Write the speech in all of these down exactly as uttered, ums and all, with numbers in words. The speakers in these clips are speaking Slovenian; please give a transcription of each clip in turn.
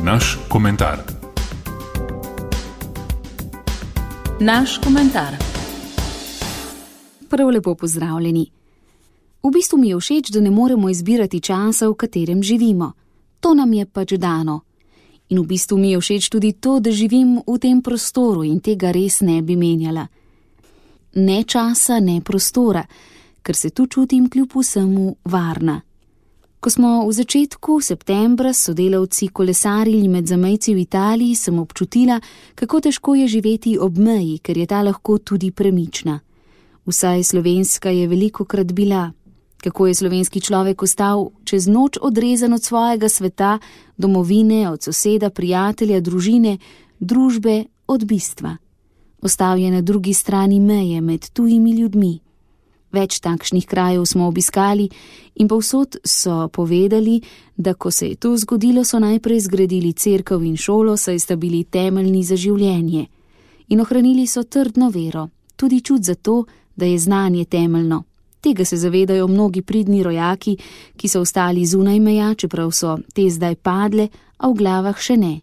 Naš komentar. Naš komentar. Prav lepo pozdravljeni. V bistvu mi je všeč, da ne moremo izbirati časa, v katerem živimo. To nam je pač dano. In v bistvu mi je všeč tudi to, da živim v tem prostoru in tega res ne bi menjala. Ne časa, ne prostora, ker se tu čutim kljub vsemu varna. Ko smo v začetku septembra s sodelavci kolesarili med zamejci v Italiji, sem občutila, kako težko je živeti ob meji, ker je ta lahko tudi premična. Vsaj slovenska je velikokrat bila. Kako je slovenski človek ostal čez noč odrezan od svojega sveta, domovine, od soseda, prijatelja, družine, družbe, od bistva. Ostal je na drugi strani meje med tujimi ljudmi. Več takšnih krajev smo obiskali in povsod so povedali, da ko se je to zgodilo, so najprej zgradili cerkev in šolo, saj sta bili temeljni za življenje. In ohranili so trdno vero, tudi čut za to, da je znanje temeljno. Tega se zavedajo mnogi pridni rojaki, ki so ostali zunaj meja, čeprav so te zdaj padle, a v glavah še ne.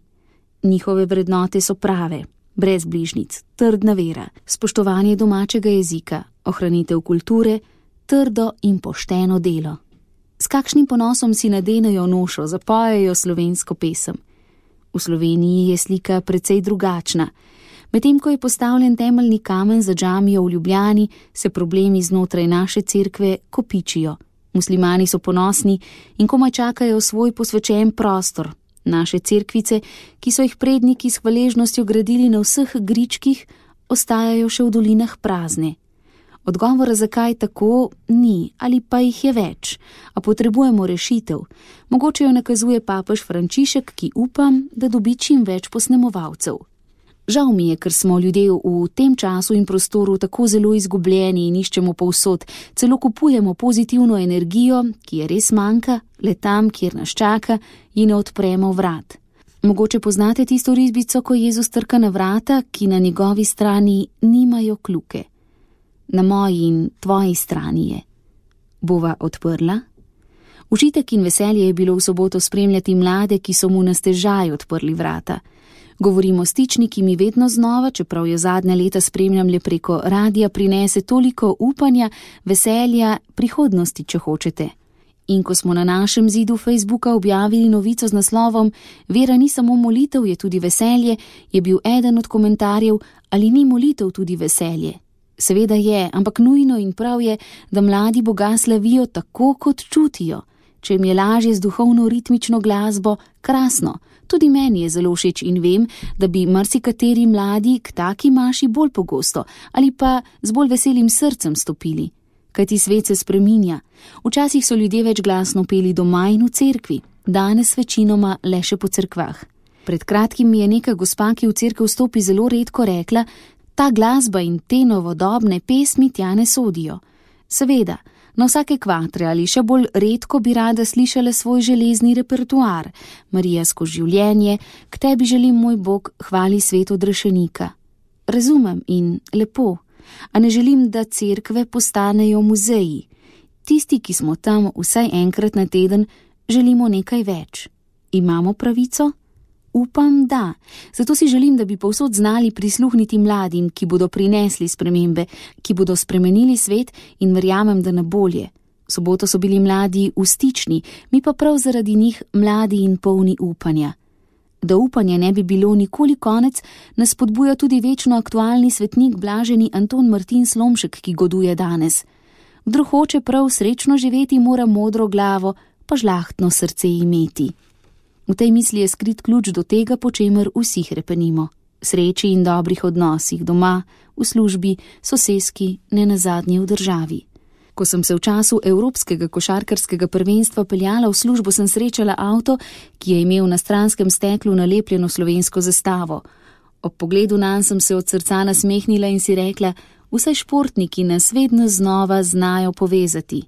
Njihove vrednote so prave, brez bližnic, trdna vera, spoštovanje domačega jezika, ohranitev kulture, trdo in pošteno delo. S kakšnim ponosom si nadenejo nošo, zapojejo slovensko pesem. V Sloveniji je slika precej drugačna. Medtem ko je postavljen temeljni kamen za džamijo v Ljubljani, se problemi znotraj naše cerkve kopičijo. Muslimani so ponosni in komaj čakajo svoj posvečen prostor. Naše cerkvice, ki so jih predniki s hvaležnostjo gradili na vseh gričkih, ostajajo še v dolinah prazne. Odgovora, zakaj tako, ni, ali pa jih je več, a potrebujemo rešitev. Mogoče jo nakazuje papež Frančišek, ki upam, da dobi čim več posnemovalcev. Žal mi je, ker smo ljudje v tem času in prostoru tako zelo izgubljeni in iščemo povsod, celo kupujemo pozitivno energijo, ki je res manjka, le tam, kjer nas čaka, in ne odpremo vrat. Mogoče poznate tisto risbico, ko Jezus trka na vrata, ki na njegovi strani nimajo kljuke. Na moji in tvoji strani je. Bova odprla? Užitek in veselje je bilo v soboto spremljati mlade, ki so mu na stežaj odprli vrata. Govorimo o stični, ki mi vedno znova, čeprav jo zadnja leta spremljam le preko radija, prinese toliko upanja, veselja, prihodnosti, če hočete. In ko smo na našem zidu Facebooka objavili novico z naslovom Vera ni samo molitev, je tudi veselje, je bil eden od komentarjev, ali ni molitev tudi veselje. Seveda je, ampak nujno in prav je, da mladi Boga slavijo tako, kot čutijo. Če jim je lažje z duhovno ritmično glasbo, krasno. Tudi meni je zelo všeč in vem, da bi marsikateri mladi k taki maši bolj pogosto ali pa z bolj veselim srcem stopili. Kajti svet se spreminja. Včasih so ljudje več glasno peli doma in v cerkvi, danes večinoma le še po cerkvah. Pred kratkim mi je neka gospa, ki v cerkev stopi zelo redko, rekla, ta glasba in te novodobne pesmi tja ne sodijo. Seveda, na vsake kvatre ali še bolj redko bi rada slišala svoj železni repertoar, Marijasko življenje, k tebi želim, moj Bog, hvali svet odrešenika. Razumem in lepo, a ne želim, da cerkve postanejo muzeji. Tisti, ki smo tam vsaj enkrat na teden, želimo nekaj več. Imamo pravico? Upam, da. Zato si želim, da bi povsod znali prisluhniti mladim, ki bodo prinesli spremembe, ki bodo spremenili svet in verjamem, da na bolje. V soboto so bili mladi v stični, mi pa prav zaradi njih mladi in polni upanja. Da upanja ne bi bilo nikoli konec, nas spodbuja tudi večno aktualni svetnik blaženi Anton Martin Slomšek, ki goduje danes. Kdor hoče prav srečno živeti, mora modro glavo, pa žlahtno srce imeti. V tej misli je skrit ključ do tega, po čemer vsi hrepenimo. Sreči in dobrih odnosih doma, v službi, soseski, ne nazadnje v državi. Ko sem se v času Evropskega košarkarskega prvenstva peljala v službo, sem srečala avto, ki je imel na stranskem steklu nalepljeno slovensko zastavo. Ob pogledu nanj sem se od srca nasmehnila in si rekla, vsaj športniki nas vedno znova znajo povezati.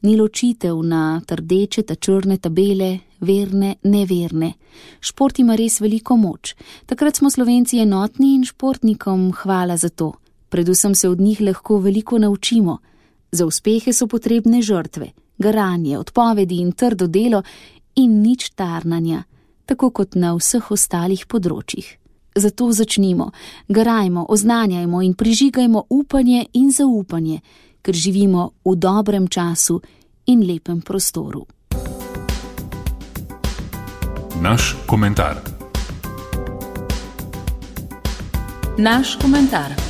Ni ločitev na trdeče, ta črne tabele, verne, neverne. Šport ima res veliko moč. Takrat smo Slovenci enotni in športnikom hvala za to. Predvsem se od njih lahko veliko naučimo. Za uspehe so potrebne žrtve, garanje, odpovedi in trdo delo in nič tarnanja. tako kot na vseh ostalih področjih. Zato začnimo, garajmo, oznanjajmo in prižigajmo upanje in zaupanje, ker živimo v dobrem času in lepem prostoru. Naš komentar. Naš komentar.